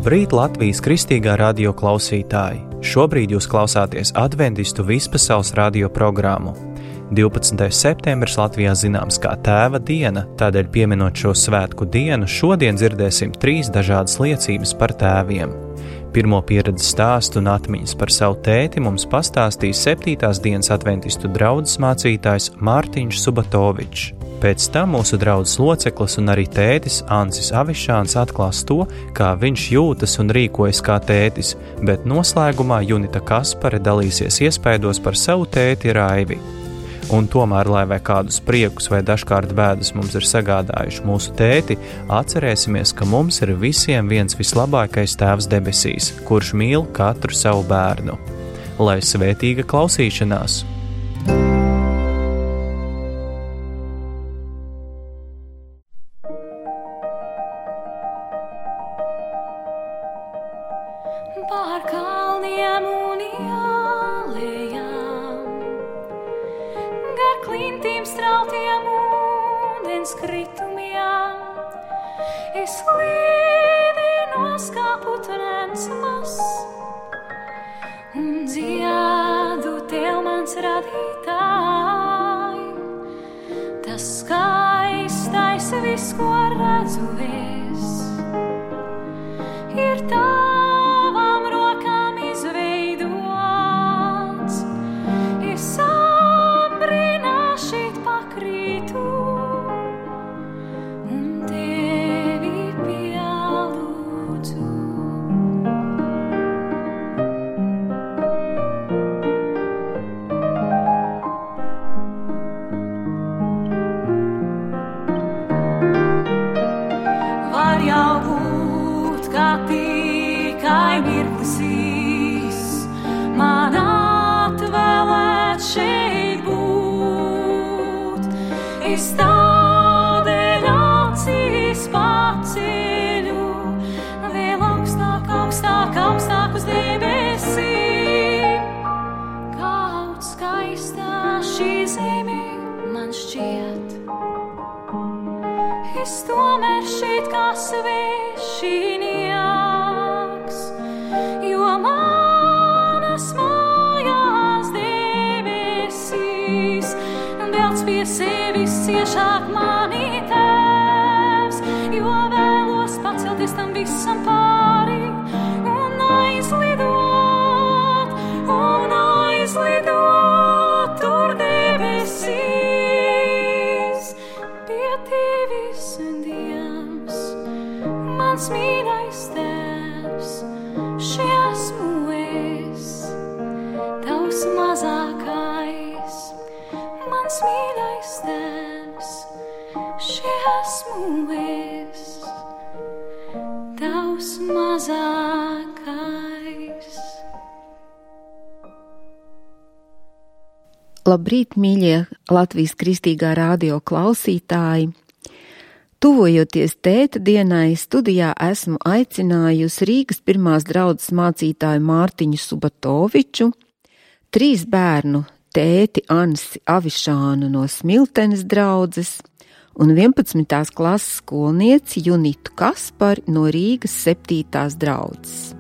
Labrīt, Latvijas Kristīgā radio klausītāji! Šobrīd jūs klausāties Adventistu vispasaules radio programmu. 12. septembris Latvijā zināms kā Tēva diena, tādēļ pieminot šo svētku dienu, šodien dzirdēsim 3 dažādas liecības par tēviem. Pirmo pieredzes stāstu un atmiņas par savu tēti mums pastāstīs 7. dienas adventistu draudzes mācītājs Mārtiņš Subatovičs. Pēc tam mūsu draudzes loceklis un arī tētis Ansis Avišāns atklās to, kā viņš jūtas un rīkojas kā tētis, bet noslēgumā Junita Kaspare dalīsies iespaidos par savu tēti Raivi. Un tomēr, lai vai kādus priekus vai dažkārt bēdas mums ir sagādājuši mūsu tēti, atcerēsimies, ka mums ir visiem viens vislabākais tēvs debesīs, kurš mīl katru savu bērnu. Lai svētīga klausīšanās! Pār kalniem un ielējām, gar klintīm strautiem ūdens kritumiem, es līdinos kā putnens mazs un dziedu tev mans radītāj. Tas skaistais viss, ko redzu es, ir tā. Es tādēļ acīs paceļu, vēl augstāk, augstāk, augstāk uz debesīm. Kaut skaistā šī zeme man šķiet, es tomēr šeit kā svešinieks, jo manas mājās debesīs velc pie sevis ciešāk mani tēvs, jo vēlos pacelties tam visam pāri un aizlidot tur debesīs. Pie tevis, Dievs, mans mīļais tēvs, šī esmu es, tavs mazākais. Mans mīļais tēvs, šī esmu es, tavs mazākais. Labrīt, mīļie Latvijas Kristīgā radio klausītāji! Tuvojoties tēta dienai, studijā esmu aicinājusi Rīgas pirmās draudzes mācītāju Mārtiņu Subatoviču, 3 bērnu tēti Ansi Avišānu no Smiltenes draudzes un 11. klases skolnieci Junitu Kaspari no Rīgas 7. draudzes.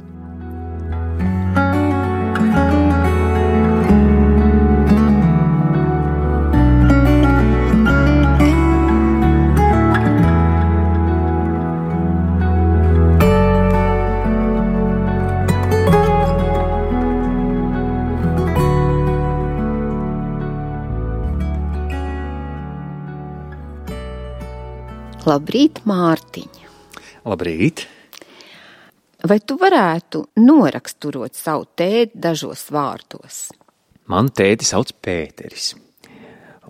Labrīt, Mārtiņ! Labrīt! Vai tu varētu noraksturot savu tēti dažos vārdos? Man tēti sauc Pēteris.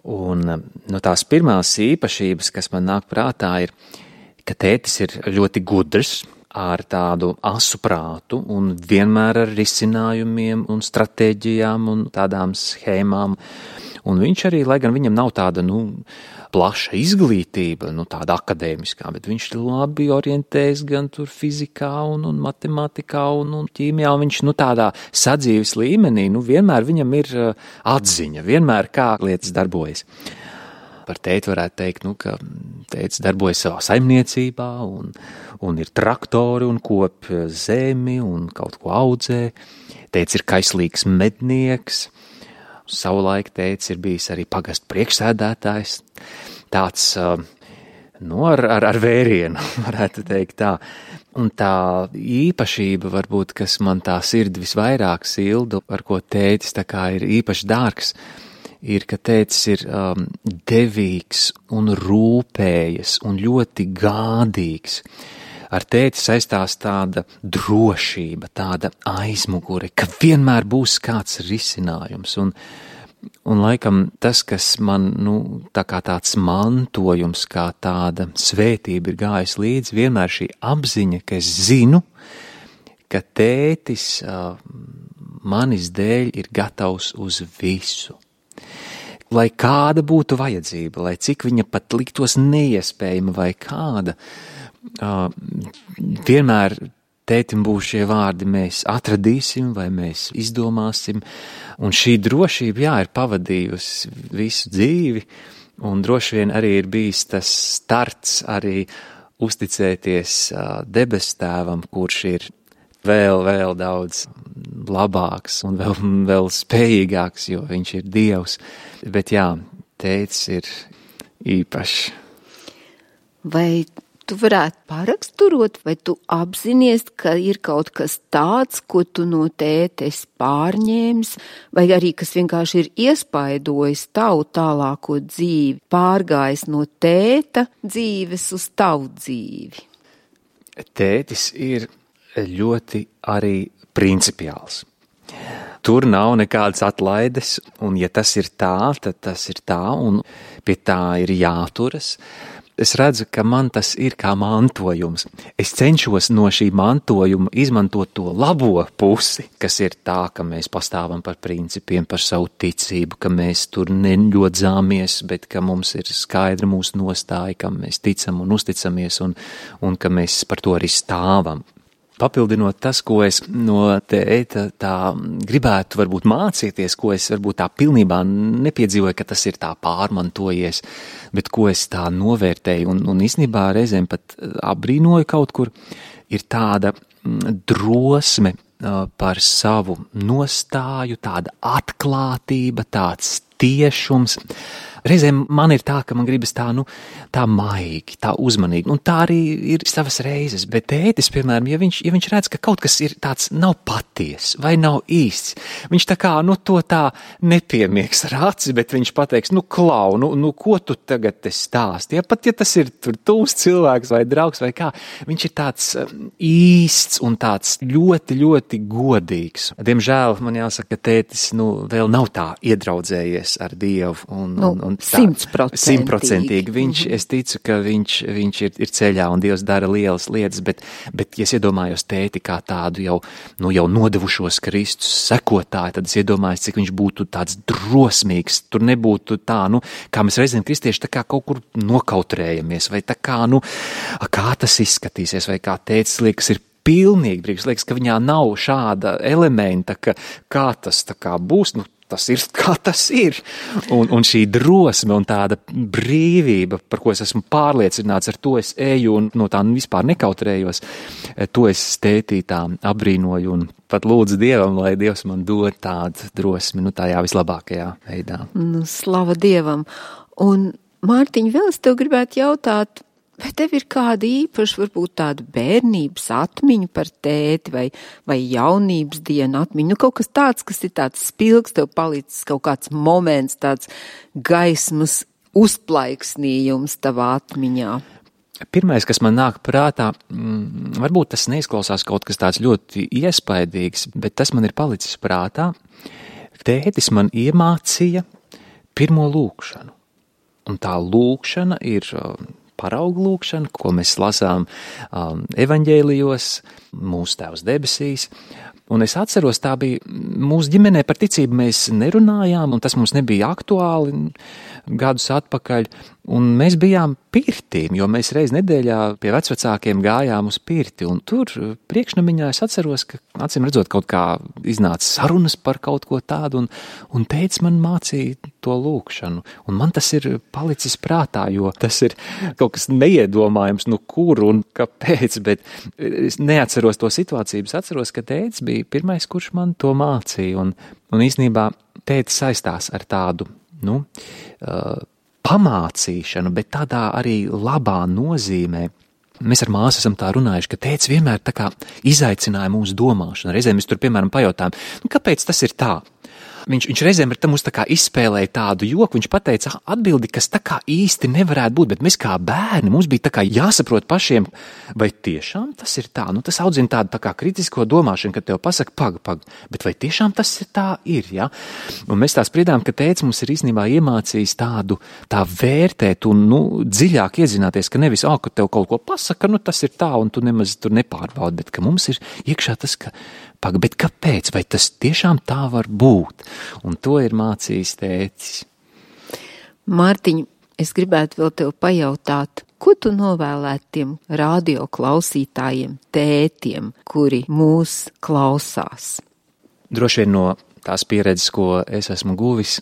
Un no tās pirmās īpašības, kas man nāk prātā, ir, ka tētis ir ļoti gudrs, ar tādu asu prātu un vienmēr ar risinājumiem un stratēģijām un tādām schēmām. Un viņš arī, lai gan viņam nav tāda, plaša izglītība, tāda akadēmiskā, bet viņš labi orientējas gan tur fizikā un matemātikā un ķīmijā, un viņš, tādā sadzīves līmenī, vienmēr viņam ir atziņa, vienmēr kā lietas darbojas. Par tēti varētu teikt, ka tētis darbojas savā saimniecībā un ir traktori un kop zemi un kaut ko audzē. Tētis ir kaislīgs mednieks. Savulaik tētis ir bijis arī pagastu priekšsēdētājs. Tāds, ar vērienu, varētu teikt tā. Un tā īpašība, varbūt, kas man tā sirdi visvairāk sildu, ar ko tētis tā kā ir īpaši dārgs, ir, ka tētis ir devīgs un rūpējas un ļoti gādīgs. Ar tēti saistās tāda drošība, tāda aizmugure, ka vienmēr būs kāds risinājums. Un laikam tas, kas man, tā kā tāds mantojums, kā tāda svētība ir gājis līdzi, vienmēr šī apziņa, ka es zinu, ka tētis manis dēļ ir gatavs uz visu. Lai kāda būtu vajadzība, lai cik viņa pat liktos neiespējama vai kāda, vienmēr tētim būs šie vārdi, mēs atradīsim vai mēs izdomāsim, un šī drošība, ir pavadījusi visu dzīvi, un droši vien arī ir bijis tas starts arī uzticēties debestēvam, kurš ir vēl daudz labāks un vēl spējīgāks, jo viņš ir Dievs, bet tētis ir īpašs. Vai tu varētu paraksturot, vai tu apzinies, ka ir kaut kas tāds, ko tu no tēta esi pārņēmis, vai arī kas vienkārši ir iespaidojis tavu tālāko dzīvi, pārgājis no tēta dzīves uz tavu dzīvi? Tētis ir ļoti arī principiāls. Tur nav nekādas atlaides, un ja tas ir tā, tad tas ir tā, un pie tā ir jāturas. Es redzu, ka man tas ir kā mantojums. Es cenšos no šī mantojuma izmantot to labo pusi, kas ir tā, ka mēs pastāvam par principiem, par savu ticību, ka mēs tur neļodzāmies, bet ka mums ir skaidra mūsu nostāja, kam mēs ticam un uzticamies, un ka mēs par to arī stāvam. Papildinot tas, ko es no tēta tā gribētu varbūt mācīties, ko es varbūt tā pilnībā nepiedzīvoju, ka tas ir tā pārmantojies, bet ko es tā novērtēju un īstenībā reizēm pat apbrīnoju kaut kur, ir tāda drosme par savu nostāju, tāda atklātība, tāds tiešums. Reizēm man ir tā, ka man gribas tā maigi, tā uzmanīgi, un tā arī ir savas reizes, bet tētis, piemēram, ja viņš redz, ka kaut kas ir tāds nav paties vai nav īsts, viņš tā kā, to tā nepiemiegs ar aci, bet viņš pateiks, klau, ko tu tagad te stāsti, pat ja tas ir tur tuvs cilvēks vai draugs vai kā, viņš ir tāds īsts un tāds ļoti, ļoti godīgs. Diemžēl man jāsaka, ka tētis, vēl nav tā iedraudzējies ar Dievu un 100%. Es ticu, ka viņš ir ceļā un Dievs dara lielas lietas, bet ja es iedomājos tēti kā tādu jau nodevušos Kristus sekotāju, tad es iedomājos, cik viņš būtu tāds drosmīgs. Tur nebūtu tā, kā mēs reizēm kristieši tā kā kaut kur nokautrējamies, vai tā kā, kā tas izskatīsies, vai kā tētis liekas ir pilnīgi brīvs, liekas, ka viņā nav šāda elementa, ka kā tas tā kā būs, tas ir, kā tas ir. Un šī drosme un tāda brīvība, par ko es esmu pārliecināts, ar to es eju un no tā vispār nekautrējos, to es tētī tā apbrīnoju un pat lūdzu Dievam, lai Dievs man dod tādu drosmi, tajā vislabākajā veidā. Slava Dievam. Un, Mārtiņ, vēl es tev gribētu jautāt, vai tev ir kāda īpaša, varbūt tāda bērnības atmiņa par tēti vai jaunības dienu atmiņu? Kaut kas tāds, kas ir tāds spilgs, tev palicis kaut kāds moments, tāds gaismas uzplaiksnījums tavā atmiņā? Pirmais, kas man nāk prātā, varbūt tas neizklausās kaut kas tāds ļoti iespaidīgs, bet tas man ir palicis prātā. Tētis man iemācīja pirmo lūkšanu. Un tā lūkšana ir paraugu lūkšana, ko mēs lasām evaņģēlijos, mūsu Tēvs debesīs. Un es atceros, tā bija mūsu ģimenē par ticību mēs nerunājām, un tas mums nebija aktuāli. gadus atpakaļ, un mēs bijām pirtīm, jo mēs reiz nedēļā pie vecvecākiem gājām uz pirti, un tur priekšnamiņā es atceros, ka acīm redzot kaut kā iznāca sarunas par kaut ko tādu, un tētis man mācīja to lūkšanu, un man tas ir palicis prātā, jo tas ir kaut kas neiedomājams, nu kur un kāpēc, bet es neatceros to situāciju, es atceros, ka tētis bija pirmais, kurš man to mācīja, un īstenībā tētis saistās ar tādu, pamācīšanu, bet tādā arī labā nozīmē. Mēs ar māsu esam tā runājuši, ka tētis vienmēr tā kā izaicināja mūsu domāšanu. Reizēm mēs tur, piemēram, pajautājām, kāpēc tas ir tā? Viņš reizēm ar mums tā kā izspēlēja tādu joku, viņš pateica atbildi, kas tā kā īsti nevarētu būt, bet mēs kā bērni, mums bija tā kā jāsaprot pašiem, vai tiešām tas ir tā, tas audzina tādu tā kā kritisko domāšanu, kad tev pasaka, pag, bet vai tiešām tas ir tā ir, ja? Un mēs tā spriedām, ka tētis mums ir īstenībā iemācījis tā vērtēt un, dziļāk iedzināties, ka nevis, ka tev kaut ko pasaka, tas ir tā, un tu nemaz tur nepārbaudi, bet ka mums ir iekšā tas, ka bet kāpēc? Vai tas tiešām tā var būt? Un to ir mācījis tētis. Mārtiņ, es gribētu vēl tev pajautāt, ko tu novēlētu tiem radio klausītājiem, tētiem, kuri mūs klausās? Droši vien no tās pieredzes, ko es esmu guvis,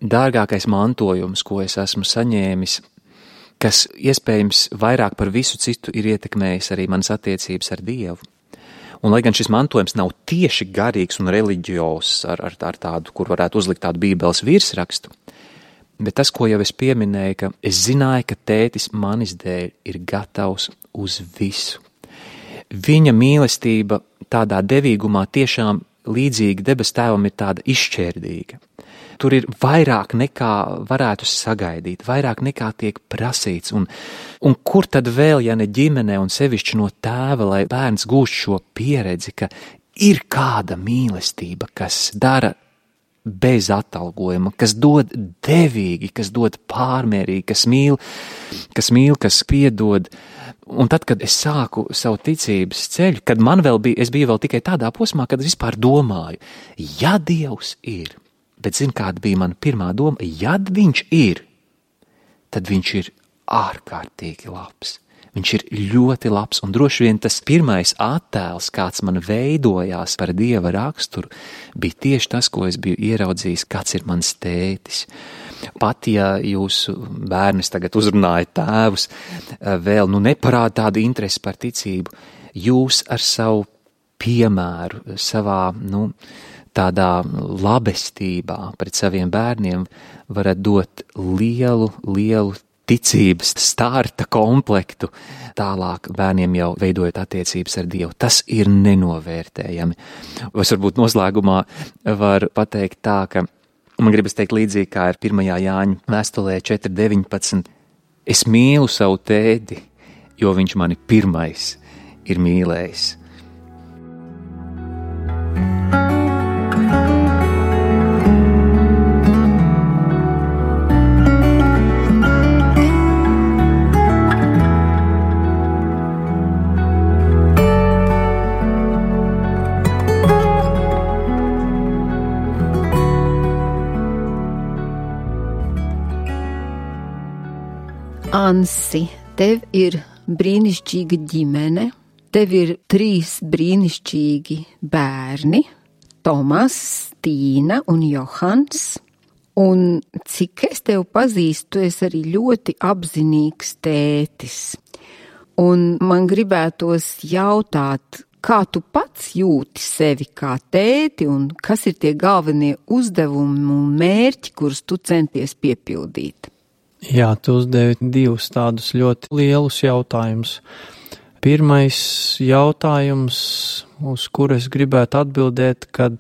dārgākais mantojums, ko es esmu saņēmis, kas iespējams vairāk par visu citu ir ietekmējis arī manas attiecības ar Dievu. Un, lai gan šis mantojums nav tieši garīgs un reliģios ar tādu, kur varētu uzlikt tādu bībeles virsrakstu, bet tas, ko jau es pieminēju, ka es zināju, ka tētis manis dēļ ir gatavs uz visu. Viņa mīlestība tādā devīgumā tiešām līdzīga debes tēvam ir tāda izšķērdīga. Tur ir vairāk nekā varētu sagaidīt, vairāk nekā tiek prasīts, un kur tad vēl, ja ne ģimenē un sevišķi no tēva, lai bērns gūst šo pieredzi, ka ir kāda mīlestība, kas dara bez atalgojuma, kas dod devīgi, kas dod pārmērīgi, kas mīl, kas piedod. Un tad, kad es sāku savu ticības ceļu, kad es biju vēl tikai tādā posmā, kad es vispār domāju, ja Dievs ir, bet zin, kāda bija mana pirmā doma, ja viņš ir, tad viņš ir ārkārtīgi labs. Viņš ir ļoti labs, un droši vien tas pirmais attēls, kāds man veidojās par Dieva raksturu, bija tieši tas, ko es biju ieraudzījis, kāds ir mans tētis. Pat, ja jūsu bērnis tagad uzrunāja tēvus, vēl neparāda tādu interesi par ticību, jūs ar savu piemēru, savā, tādā labestībā pret saviem bērniem varat dot lielu ticības starta komplektu, tālāk bērniem jau veidojot attiecības ar Dievu. Tas ir nenovērtējami. Es varbūt noslēgumā varu pateikt tā, ka man gribas teikt līdzīgi kā ir 1. Jāņa vēstulē 4.19. Es mīlu savu tēti, jo viņš mani pirmais ir mīlējis. Ansi, tev ir brīnišķīga ģimene, tev ir 3 brīnišķīgi bērni, Tomas, Tīna un Johans, un cik es tev pazīstu, tu esi arī ļoti apzinīgs tētis. Un man gribētos jautāt, kā tu pats jūti sevi kā tēti un kas ir tie galvenie uzdevumi un mērķi, kurus tu centies piepildīt? Jā, tu uzdevi 2 tādus ļoti lielus jautājumus. Pirmais jautājums, uz kuru es gribētu atbildēt, kad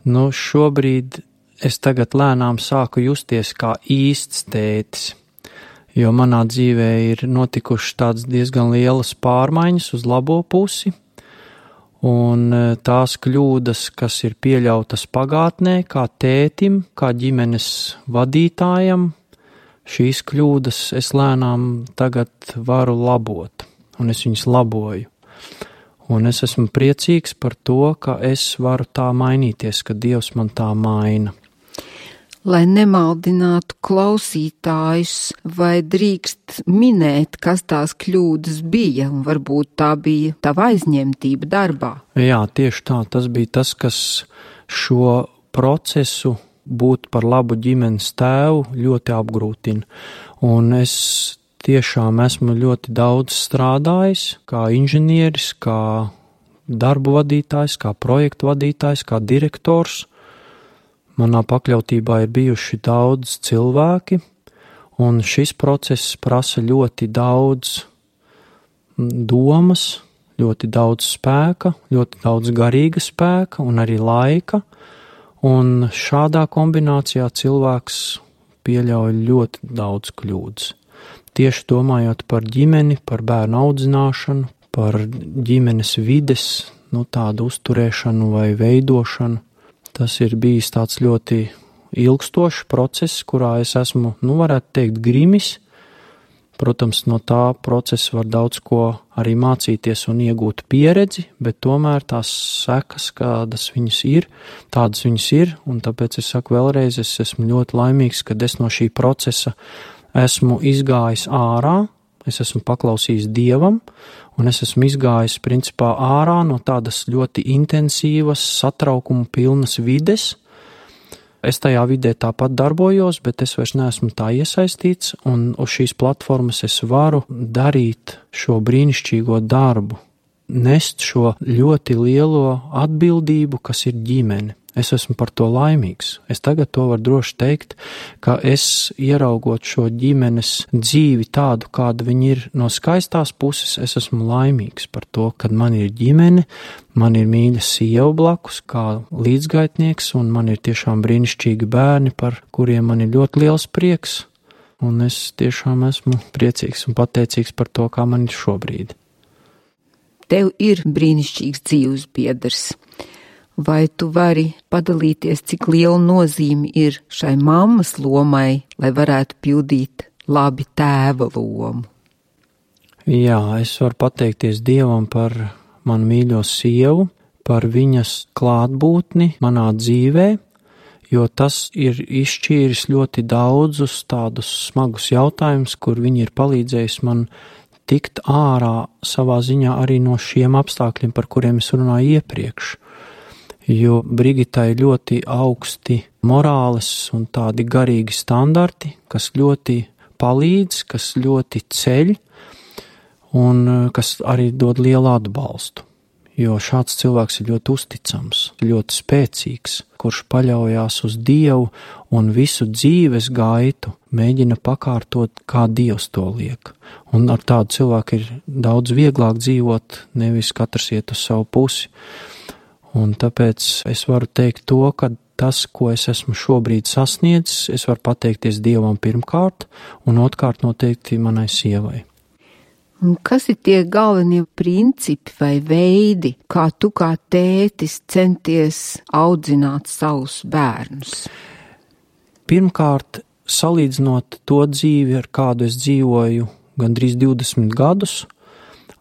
šobrīd es tagad lēnām sāku justies kā īsts tētis, jo manā dzīvē ir notikušas tādas diezgan lielas pārmaiņas uz labo pusi, un tās kļūdas, kas ir pieļautas pagātnē, kā tētim, kā ģimenes vadītājam, šīs kļūdas es lēnām tagad varu labot, un es viņas laboju. Un es esmu priecīgs par to, ka es varu tā mainīties, ka Dievs man tā maina. Lai nemaldinātu klausītājus, vai drīkst minēt, kas tās kļūdas bija, un varbūt tā bija tava aizņemtība darbā? Jā, tieši tā, tas bija tas, kas šo procesu būt par labu ģimenes tēvu ļoti apgrūtina. Un es tiešām esmu ļoti daudz strādājis kā inženieris, kā darbu vadītājs, kā projektu vadītājs, kā direktors. Manā pakļautībā ir bijuši daudz cilvēki, un šis process prasa ļoti daudz domas, ļoti daudz spēka, ļoti daudz garīga spēka un arī laika, un šādā kombinācijā cilvēks pieļauj ļoti daudz kļūdas. Tieši domājot par ģimeni, par bērnu audzināšanu, par ģimenes vides, tādu uzturēšanu vai veidošanu. Tas ir bijis tāds ļoti ilgstošs process, kurā es esmu, varētu teikt, grimis. Protams, no tā procesa var daudz ko arī mācīties un iegūt pieredzi, bet tomēr tās sekas, kādas viņas ir, tādas viņas ir, un tāpēc es saku vēlreiz, es esmu ļoti laimīgs, kad es no šī procesa esmu izgājis ārā, es esmu paklausījis Dievam, un es esmu izgājis principā ārā no tādas ļoti intensīvas, satraukuma pilnas vides. Es tajā vidē tāpat darbojos, bet es vairs neesmu tā iesaistīts, un uz šīs platformas es varu darīt šo brīnišķīgo darbu, nest šo ļoti lielo atbildību, kas ir ģimene. Es esmu par to laimīgs. Es tagad to varu droši teikt, ka es ieraugot šo ģimenes dzīvi tādu, kāda viņi ir no skaistās puses, es esmu laimīgs par to, kad man ir ģimene, man ir mīļa sieva blakus kā līdzgaitnieks, un man ir tiešām brīnišķīgi bērni, par kuriem man ir ļoti liels prieks, un es tiešām esmu priecīgs un pateicīgs par to, kā man ir šobrīd. Tev ir brīnišķīgs dzīves biedrs. Vai tu vari padalīties, cik liela nozīme ir šai mammas lomai, lai varētu pildīt labi tēva lomu? Jā, es varu pateikties Dievam par manu mīļo sievu, par viņas klātbūtni manā dzīvē, jo tas ir izšķīris ļoti daudzus tādus smagus jautājumus, kur viņi ir palīdzējis man tikt ārā savā ziņā arī no šiem apstākļiem, par kuriem es runāju iepriekš. Jo Brigitai ļoti augsti morāles un tādi garīgi standarti, kas ļoti palīdz, kas ļoti ceļ un kas arī dod lielu atbalstu. Jo šāds cilvēks ir ļoti uzticams, ļoti spēcīgs, kurš paļaujās uz Dievu un visu dzīves gaitu mēģina pakārtot, kā Dievs to liek. Un ar tādu cilvēku ir daudz vieglāk dzīvot, nevis katrs iet uz savu pusi. Un tāpēc es varu teikt to, ka tas, ko es esmu šobrīd sasniedzis, es varu pateikties Dievam pirmkārt, un otrkārt noteikti manai sievai. Un kas ir tie galvenie principi vai veidi, kā tu kā tētis centies audzināt savus bērnus? Pirmkārt, salīdzinot to dzīvi, ar kādu es dzīvoju gandrīz 20 gadus,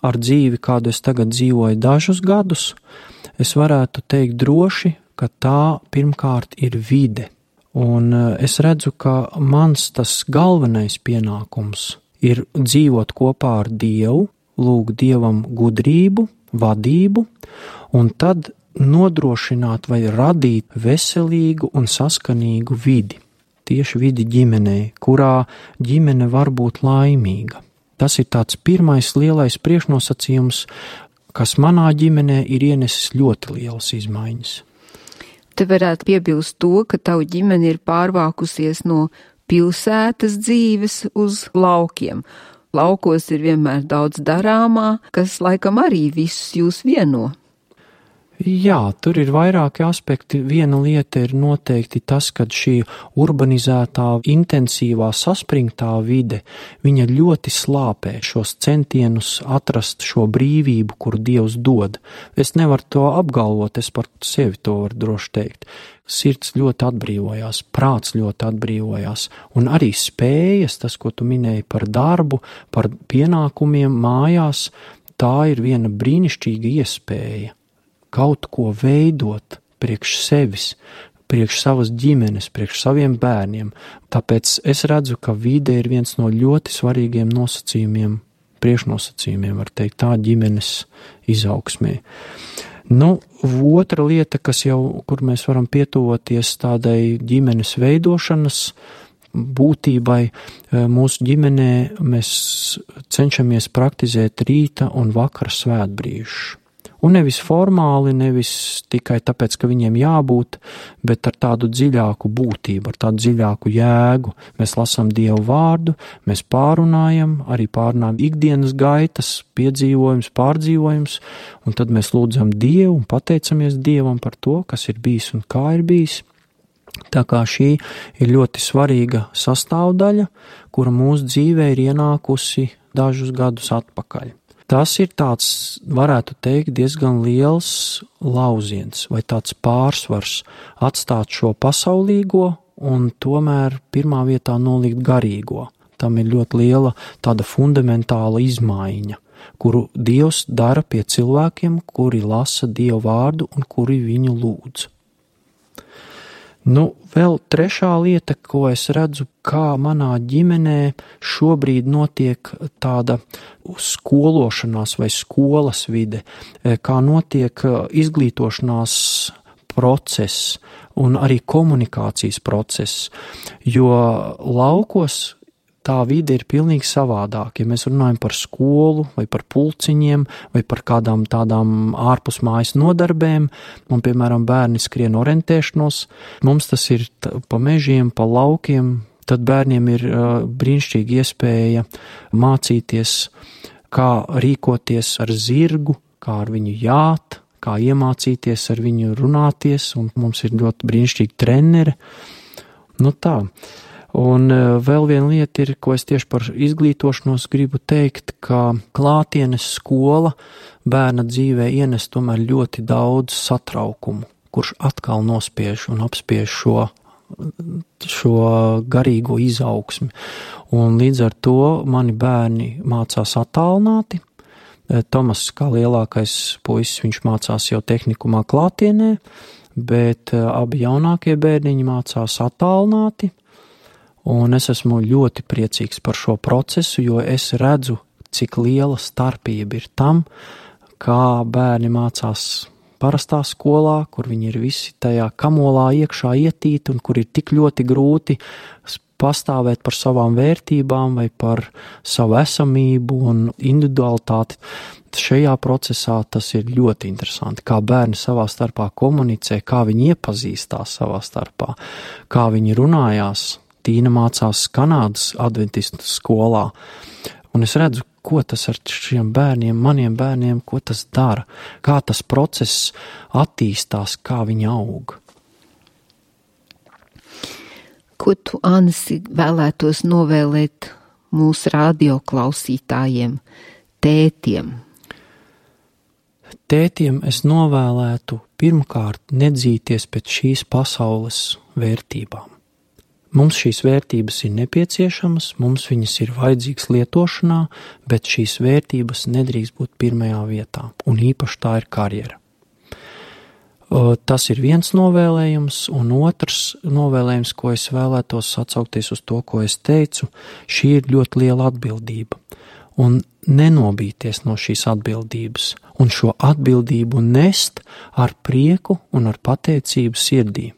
ar dzīvi, kādu es tagad dzīvoju dažus gadus, es varētu teikt droši, ka tā pirmkārt ir vide. Un es redzu, ka mans tas galvenais pienākums ir dzīvot kopā ar Dievu, lūgt Dievam gudrību, vadību, un tad nodrošināt vai radīt veselīgu un saskanīgu vidi. Tieši vidi ģimenei, kurā ģimene var būt laimīga. Tas ir tāds pirmais lielais priekšnosacījums, kas manā ģimenē ir ienesis ļoti lielas izmaiņas. Te varētu piebilst to, ka tavu ģimene ir pārvākusies no pilsētas dzīves uz laukiem. Laukos ir vienmēr daudz darāmā, kas laikam arī visus jūs vieno. Jā, tur ir vairāki aspekti. Viena lieta ir noteikti tas, ka šī urbanizētā, intensīvā, saspringtā vide, viņa ļoti slāpē šos centienus atrast šo brīvību, kuru Dievs dod. Es nevaru to apgalvot, es par sevi to varu droši teikt. Sirds ļoti atbrīvojās, prāts ļoti atbrīvojās, un arī spējas, tas, ko tu minēji par darbu, par pienākumiem mājās, tā ir viena brīnišķīga iespēja. Kaut ko veidot priekš sevis, priekš savas ģimenes, priekš saviem bērniem. Tāpēc es redzu, ka vide ir viens no ļoti svarīgiem nosacījumiem, priekšnosacījumiem, var teikt, tā ģimenes izaugsmē. Otra lieta, kur mēs varam pietuvoties tādai ģimenes veidošanas būtībai, mūsu ģimenē mēs cenšamies praktizēt rīta un vakara svētbrīžu. Un nevis formāli, nevis tikai tāpēc, ka viņiem jābūt, bet ar tādu dziļāku būtību, ar tādu dziļāku jēgu. Mēs lasām Dievu vārdu, mēs pārunājam ikdienas gaitas, piedzīvojums, pārdzīvojums, un tad mēs lūdzam Dievu un pateicamies Dievam par to, kas ir bijis un kā ir bijis. Tā kā šī ir ļoti svarīga sastāvdaļa, kura mūsu dzīvē ir ienākusi dažus gadus atpakaļ. Tas ir tāds, varētu teikt, diezgan liels lauziens vai tāds pārsvars atstāt šo pasaulīgo un tomēr pirmā vietā nolikt garīgo. Tam ir ļoti liela tāda fundamentāla izmaiņa, kuru Dievs dara pie cilvēkiem, kuri lasa Dievu vārdu un kuri viņu lūdz. Vēl trešā lieta, ko es redzu, kā manā ģimenē šobrīd notiek tāda skološanās vai skolas vide, kā notiek izglītošanās process un arī komunikācijas process, jo laukos tā vide ir pilnīgi savādāk. Ja mēs runājam par skolu vai par pulciņiem vai par kādām tādām ārpus mājas nodarbēm, un, piemēram, bērni skrien orientēšanos, mums tas ir pa mežiem, pa laukiem, tad bērniem ir brīnišķīga iespēja mācīties, kā rīkoties ar zirgu, kā ar viņu jāt, kā iemācīties ar viņu runāties, un mums ir ļoti brīnišķīgi treneri. Tā. Un vēl viena lieta ir, ko es tieši par izglītošanos gribu teikt, ka klātienes skola bērna dzīvē ienes tomēr ļoti daudz satraukumu, kurš atkal nospiež un apspiež šo garīgo izaugsmi. Un līdz ar to mani bērni mācās attālināti. Tomas, kā lielākais puisis, viņš mācās jau tehnikumā klātienē, bet abi jaunākie bērniņi mācās attālināti. Un es esmu ļoti priecīgs par šo procesu, jo es redzu, cik liela starpība ir tam, kā bērni mācās parastā skolā, kur viņi ir visi tajā kamolā iekšā ietīti un kur ir tik ļoti grūti pastāvēt par savām vērtībām vai par savu esamību un individualitāti. Šajā procesā tas ir ļoti interesanti, kā bērni savā starpā komunicē, kā viņi iepazīstās savā starpā, kā viņi runājās. Tīna mācās Kanādas adventistu skolā, un es redzu, ko tas ar šiem bērniem, maniem bērniem, ko tas dara, kā tas process attīstās, kā viņi aug. Ko tu, Ansi, vēlētos novēlēt mūsu radioklausītājiem, tētiem? Tētiem es novēlētu pirmkārt nedzīties pēc šīs pasaules vērtībām. Mums šīs vērtības ir nepieciešamas, mums viņas ir vajadzīgas lietošanā, bet šīs vērtības nedrīkst būt pirmajā vietā, un īpaši tā ir karjera. Tas ir viens novēlējums, un otrs novēlējums, ko es vēlētos atsaukties uz to, ko es teicu, šī ir ļoti liela atbildība, un nenobīties no šīs atbildības, un šo atbildību nest ar prieku un ar pateicību sirdī.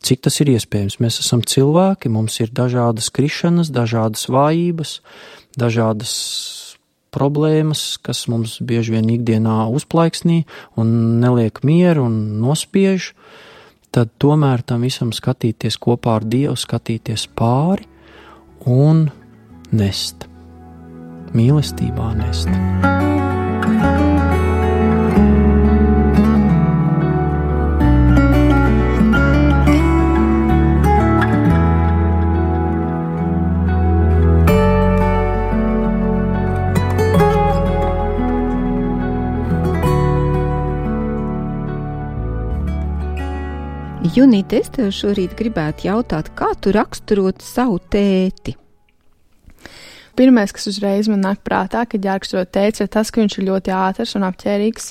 Cik tas ir iespējams? Mēs esam cilvēki, mums ir dažādas krišanas, dažādas vājības, dažādas problēmas, kas mums bieži vien ikdienā uzplaiksnī un neliek mieru un nospiež, tad tomēr tam visam skatīties kopā ar Dievu, skatīties pāri un nest. Mīlestībā nest. Junīte, es tev šorīt gribētu jautāt, kā tu raksturot savu tēti? Pirmais, kas uzreiz man nāk prātā, kad jāraksturo tētis, ir tas, ka viņš ir ļoti ātrs un apķērīgs.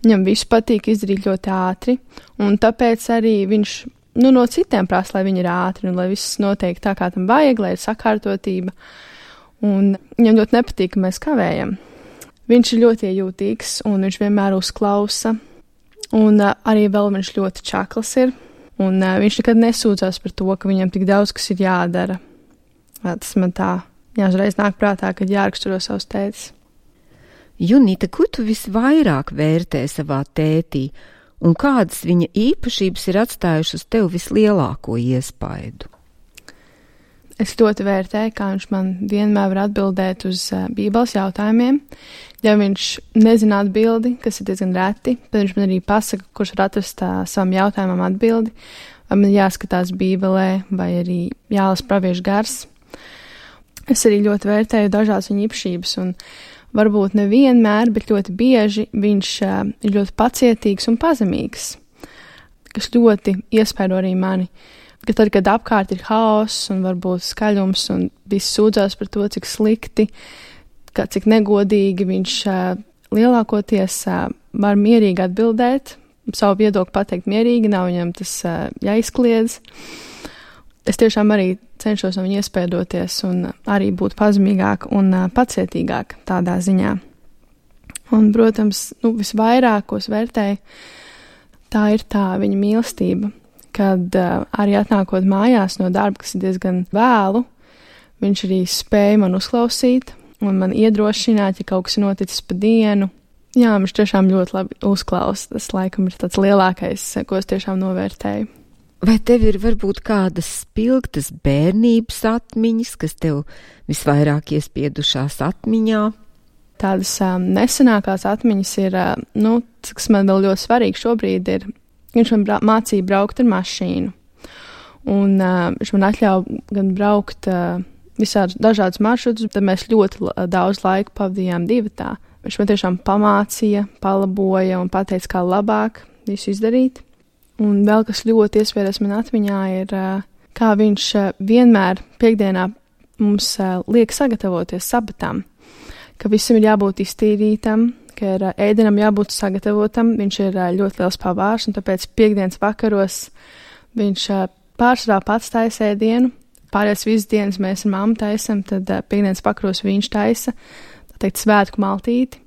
Viņam visu patīk izdarīt ļoti ātri, un tāpēc arī viņš no citiem prasa, lai viņi ir ātri un lai viss notiek tā, kā tam vajag, lai ir sakārtotība. Un viņam ļoti nepatīk, ka mēs kavējam. Viņš ir ļoti iejūtīgs un viņš vienmēr uzklausa. Un arī vēl viņš ļoti čakls ir. Un viņš nekad nesūdzās par to, ka viņam tik daudz, kas ir jādara. Tas man tā uzreiz nāk prātā, kad jāraksturo savus tētis. Junita, ko tu visvairāk vērtē savā tētī? Un kādas viņa īpašības ir atstājušas tev vislielāko iespaidu? Es ļoti vērtēju, kā viņš man vienmēr var atbildēt uz Bībeles jautājumiem. Ja viņš nezina atbildi, kas ir diezgan reti, tad viņš man arī pasaka, kurš var atrast savam jautājumam atbildi. Vai man jāskatās Bībelē, vai arī jālas praviešu gars. Es arī ļoti vērtēju dažādas viņa īpašības, un varbūt nevienmēr, bet ļoti bieži viņš ir ļoti pacietīgs un pazemīgs, kas ļoti iespaido arī mani. Ka tad, kad apkārt ir haoss un varbūt skaļums un viss sūdzās par to, cik slikti, cik negodīgi, viņš lielākoties var mierīgi atbildēt, savu viedokli pateikt mierīgi, nav viņam tas jāizkliedz. Es tiešām arī cenšos no viņa iespaidoties un arī būt pazemīgāk un pacietīgāk tādā ziņā. Un, protams, visvairāk, ko es vērtēju, tā ir tā viņa mīlestība, kad arī atnākot mājās no darba, kas ir diezgan vēlu, viņš arī spēja man uzklausīt un man iedrošināt, ja kaut kas noticis pa dienu. Jā, viņš tiešām ļoti labi uzklausa. Tas laikam ir tāds lielākais, ko es tiešām novērtēju. Vai tev ir varbūt kādas spilgtas bērnības atmiņas, kas tev visvairāk iespiedušās atmiņā? Tādas nesenākās atmiņas ir, kas man vēl ļoti svarīgi šobrīd ir, viņš man mācīja braukt ar mašīnu. Un viņš man atļauj gan braukt visādus dažādus maršrutus, tad mēs ļoti daudz laika pavadījām divatā. Viņš man tiešām pamācīja, palaboja un pateica, kā labāk visu izdarīt. Un vēl kas ļoti iespējas man atmiņā ir, kā viņš vienmēr piekdienā mums liek sagatavoties sabatām, ka visam ir jābūt iztīrītam, ka ir ēdienam jābūt sagatavotam. Viņš ir ļoti liels pavārs, un tāpēc piekdienas vakaros viņš pārsvarā pats taisa ēdienu. Pārējās visas dienas mēs ar mammu taisam, tad piekdienas vakaros viņš taisa, tā teikt, svētku maltīti.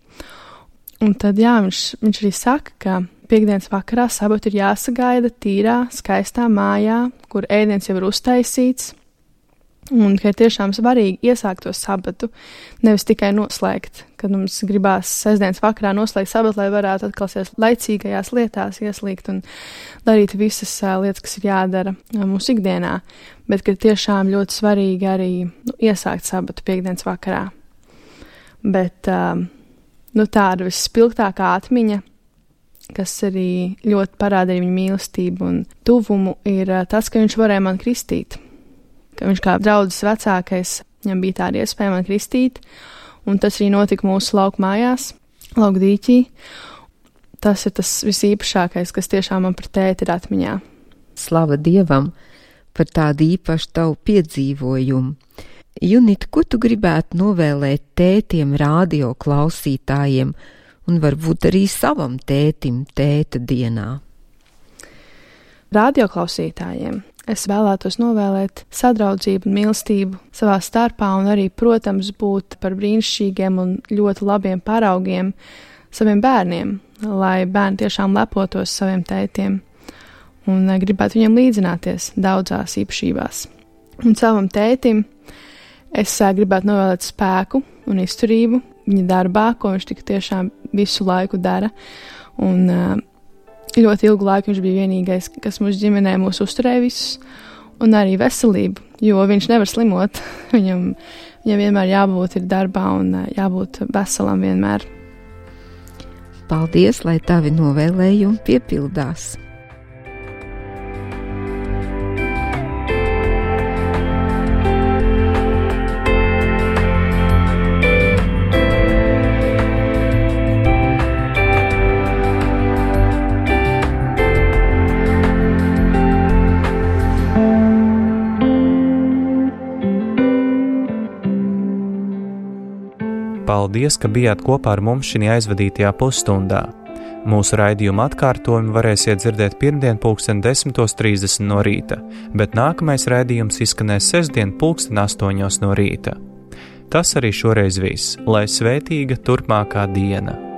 Un tad, jā, viņš arī saka, ka piekdienas vakarā sabatu ir jāsagaida tīrā, skaistā mājā, kur ēdiens jau ir uztaisīts, un ka ir tiešām svarīgi iesākt to sabatu, nevis tikai noslēgt, kad mums gribās sestdienas vakarā noslēgt sabatu, lai varētu atkal laicīgajās lietās ieslīgt un darīt visas lietas, kas ir jādara mūsu ikdienā, bet ka tiešām ļoti svarīgi arī iesākt sabatu piekdienas vakarā. Bet tāda visspilgtākā atmiņa, kas arī ļoti parāda viņa mīlestību un tuvumu, ir tas, ka viņš varēja man kristīt. Ka viņš kā draudzes vecākais, viņam bija tāda iespēja man kristīt, un tas arī notika mūsu lauku mājās, lauku dīķī. Tas ir tas visīpašākais, kas tiešām man par tēti ir atmiņā. Slava Dievam par tādu īpašu tavu piedzīvojumu. Junita, ko tu gribētu novēlēt tētiem, radio klausītājiem, un varbūt arī savam tētim tēta dienā? Radioklausītājiem es vēlētos novēlēt sadraudzību un mīlestību savā starpā un arī, protams, būt par brīnišķīgiem un ļoti labiem paraugiem saviem bērniem, lai bērni tiešām lepotos saviem tētiem un gribētu viņiem līdzināties daudzās īpašībās. Un savam tētim es gribētu novēlēt spēku un izturību viņa darbā, ko viņš tik tiešām visu laiku dara. Un ļoti ilgu laiku viņš bija vienīgais, kas mūsu ģimenē mūs uzturēja visus, un arī veselību, jo viņš nevar slimot. Viņam vienmēr jābūt ir darbā un jābūt veselam vienmēr. Paldies, lai tavi novēlējumi piepildās! Paldies, ka bijāt kopā ar mums šajā aizvadītajā pusstundā. Mūsu raidījuma atkārtojumu varēsiet dzirdēt pirmdien 10:30 no rīta, bet nākamais raidījums izskanēs sestdien 8:00 no rīta. Tas arī šoreiz viss, lai svētīga turpmākā diena!